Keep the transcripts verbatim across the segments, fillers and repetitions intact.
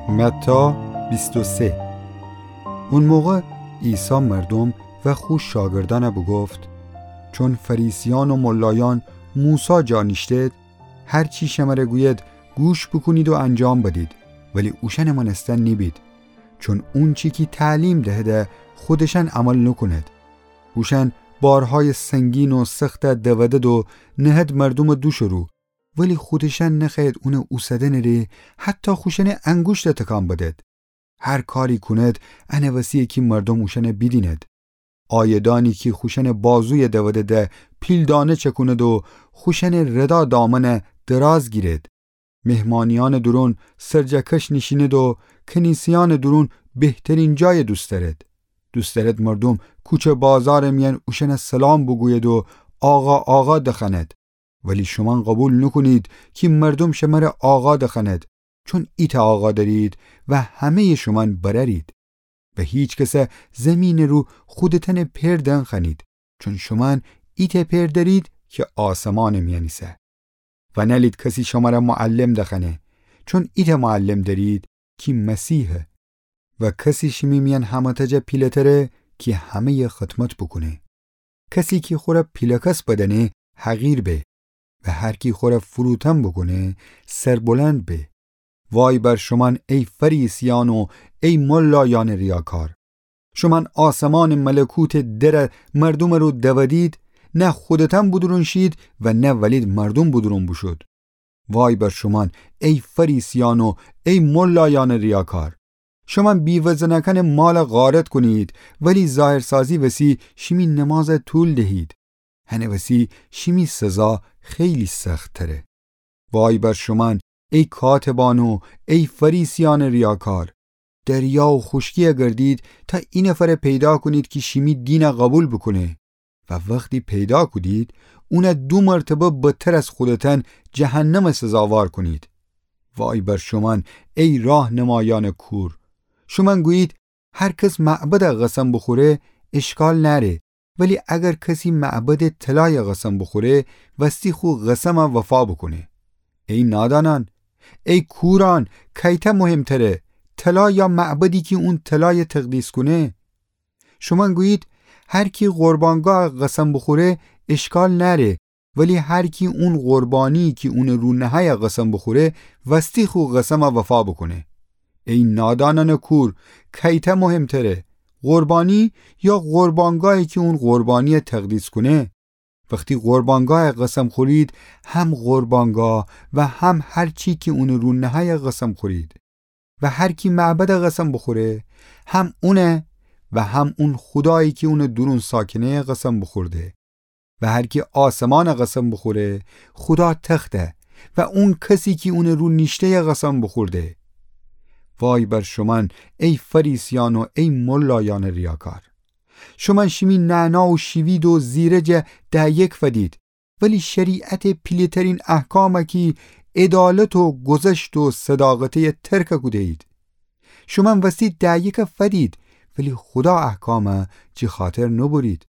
متی بیست و سه. او موقع عیسی مردوم و خو شاگردأن بوگفت: چون فریسیأن و ملایأن موسی جا نیشتید، هر چی شمر گوید گوش بوکونید و انجام بدید، ولی اوشأن مأنستن نیبید. چون اونچی کی تعلیم دهده خودشأن عمل نوکونید. اوشأن بارهای سنگین و سخت دودد و نهد مردوم دوشٚ رو، ولی خودشأن نخوأیید اون اوسدنٚ ره حتی خوشأنٚ انگوشت تکان بدید. هر کاری کونید، انٚ وسیه کی مردوم اوشأن بیدینید. عایدأنی کی خوشأنٚ بازوی دودد پیلدانه چکونید و خوشأنٚ ردا دامن دراز گیرید. مهمانیأنٚ دورون سرجکش نیشینید و کنیسه‌یأنٚ دورون بهترین جای دوست دأرید. دوست دأرید مردوم کوچه بازارٚ میأن اوشأن سلام بوگوید و آقا، آقا دخوأنید. ولی شومأن قوبیل نوکونید کی مردوم شمر آقا دخوأنید، چون ایتأ آقا دأرید و همه‌یٚ شومأن برأرید. و هیکس زیمینٚ رو خودتأنٚ پئر دنخوأنید، چون شومأن ایتأ پئر دأرید کی آسمانٚ میأن ایسه. و نألید کسی شمر معلم دخوأنه، چون ایتأ معلم دأرید کی مسیحه. و کسی شیمی میأن همه‌تأ جا پیله‌تره کی همه‌یٚ خدمت بوکونه. کسی کی خور پیله‌کس بدأنه حقیر به، و هر کی خور فروتن بوکونه سربلند به. وای بر شومأن ای فریسیأن و ای ملایأنٚ ریاکار! شومأن آسمانٚ ملکوتٚ در مردومٚ رو دودید، نه خودتأن بودورون شید و نه ولید مردوم بودورون بوشود. وای بر شومأن ای فریسیأن و ای ملایأنٚ ریاکار! شومأن بیوه‌زنأکأنٚ مال غارت کونید، ولی ظاهرسازی وسی شیمی نماز طول دهید. هنٚ وسی شیمی سزا خیلی سخت‌تره. وای بر شومأن ای کاتبأن و ای فریسیأنٚ ریاکار! دریا و خوشکی گردید تا اینفر پیدا کونید کی شیمی دین قوبیل بوکونه. و وختی پیدا کودید، اون دو مرتبه بدتر از خودتأن جهنم سزاوار کونید. وای بر شومأن ای راهنمایأنٚ کور! شومأن گویید هر کس معبد قسم بوخوره اشکال نأره، ولی اگر کسی معبدٚ طلای قسم بوخوره، وستی خو قسم وفا بوکونه. ای نادانأن! ای کورأن! کیتأ مهم‌تره، طلا یا معبدی کی اون طلای تقدیس کونه؟ شومأن گویید هر کی قربانگاه قسم بوخوره اشکال نأره، ولی هر کی اون قربانی کی اونٚ رو نهأی قسم بوخوره، وستی خو قسم وفا بوکونه. ای نادانأنٚ کور! کیتأ مهم‌تره، قربانی یا قربانگاهی کی اون قربانی تقدیس کونه؟ وختی قربانگاه قسم خورید، هم قربانگاه و هم هر چی کی اونٚ رو نهأی قسم خورید. و هر کی معبد قسم بوخوره، هم اون و هم اون خودایی کی اونٚ دورون ساکنه قسم بوخورده. و هر کی آسمان قسم بوخوره، خودا تخته و اون کسی کی اونٚ رو نیشته‌ی قسم بوخورده. وای بر شومأن ای فریسیأن و ای ملایأنٚ ریاکار! شومأن شیمی نعنا و شیوید و زیرج ده‌یک فدید، ولی شریعتٚ پیله‌ترین احکام کی عدالت و گذشت و صداقته ترک کوده‌یید. شومأن وستی ده‌یک فدید، ولی خودا احکام جی خاطر نوبرید.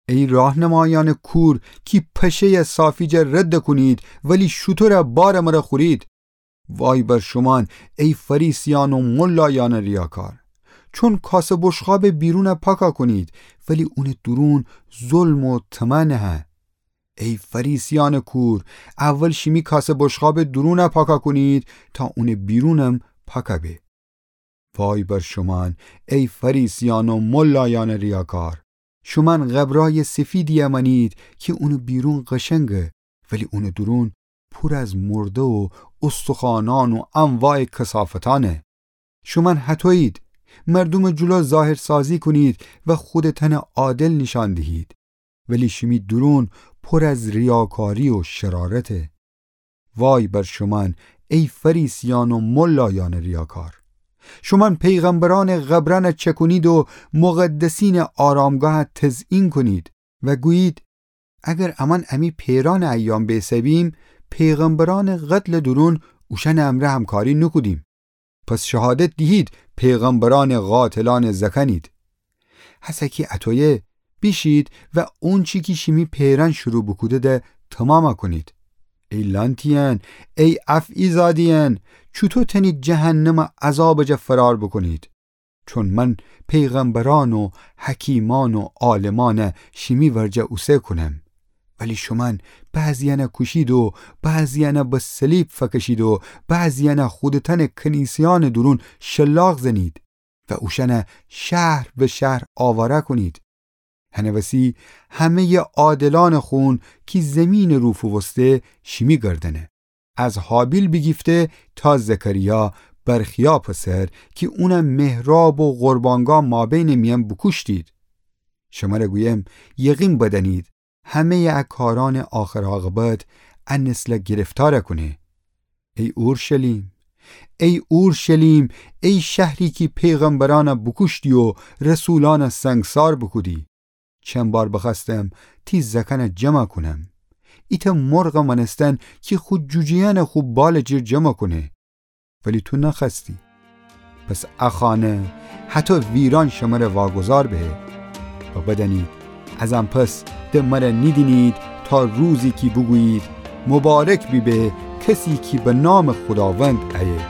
ای راهنمایأنٚ کور کی پشه صافی جا رد کونید، ولی شوتور بارٚ مره خورید. وای بر شومأن ای فریسیأن و ملایأنٚ ریاکار! چون کاسه بشقابٚ بیرون پاکا کونید، ولی اونٚ دورون ظلم و طمع نهه. ای فریسیأنٚ کور! اول شیمی کاسه بشقابٚ دورون پاکا کونید تا اونٚ بیرونم پاکا به. وای بر شومأن ای فریسیأن و ملایأنٚ ریاکار! شومأن قبرای سفیدی مأنید کی اونٚ بیرون قشنگه، ولی اونٚ دورون پور از مرده و استخوانأن و انواعٚ کثافتأنه. شومأن هطویید، مردومٚ جلو ظاهرسازی کونید و خودتأن عادل نیشأن دیهید، ولی شیمی دورون پور از ریاکاری و شرارته. وای بر شومأن ای فریسیأن و ملایأنٚ ریاکار! شومأن پیغمبرأنٚ قبرأن چکونید و مقدسینٚ آرامگاه تزیین کونید و گویید: اگر امأن امی پئرأنٚ ایام بئسه‌بیم، پیغمبرأنٚ قتلٚ دورون اوشأنٚ امرأ همکاری نوکودیم. پس شهادت دیهید پیغمبرأنٚ قاتلأن زأکأنید. هسه کی اطویه، بیشید و اونچی کی شیمی پئرأن شروع بوکوده‌ده تمام کونید. ای لأنتیأن، ای افعی‌زاده‌یأن، چوطو تأنید جهنمٚ عذابٚ جا فرار بوکونید؟ چون من پیغمبرأن و حکیمأن و عالمأن شیمی ورجه اوسه کونم، ولی شومأن بعضی‌یأن کوشید و بعضی‌یأن به صلیب فکشید و بعضی‌یأن خودتأنٚ کنیسه‌یأنٚ دورون شلاق زنید و اوشأن شهر به شهر آواره کونید. هنٚ وسی همه‌یٚ عادلأنٚ خون کی زیمینٚ رو فووسته شیمی گردنه، از هابیل بیگیفته تا زکریا، برخیا پسر، کی اون محراب و قربانگاه مابینٚ میأن بوکوشتید. شمر گویم، یقین بدأنید، همه‌یٚ ا کارأنٚ آخر عاقبت ا نسل گرفتار کونه. ای اورشلیم، ای اورشلیم، ای شهری کی پیغمبرأن بوکوشتی و رسولأن سنگسار بوکودی! چند بار بخوأستم تی زأکأن جمع کونم، ایتأ مرغ مأنستن کی خو جوجه‌یأن خو بالٚ جیر جمع کونه، ولی تو نخوأستی. پس ا خانه هطو ویران شمر واگذار به. و بدأنید، از ان پس د مر نیدینید تا روزی کی بوگویید، مبارک بیبه کسی کی به نامٚ خوداوند ایه.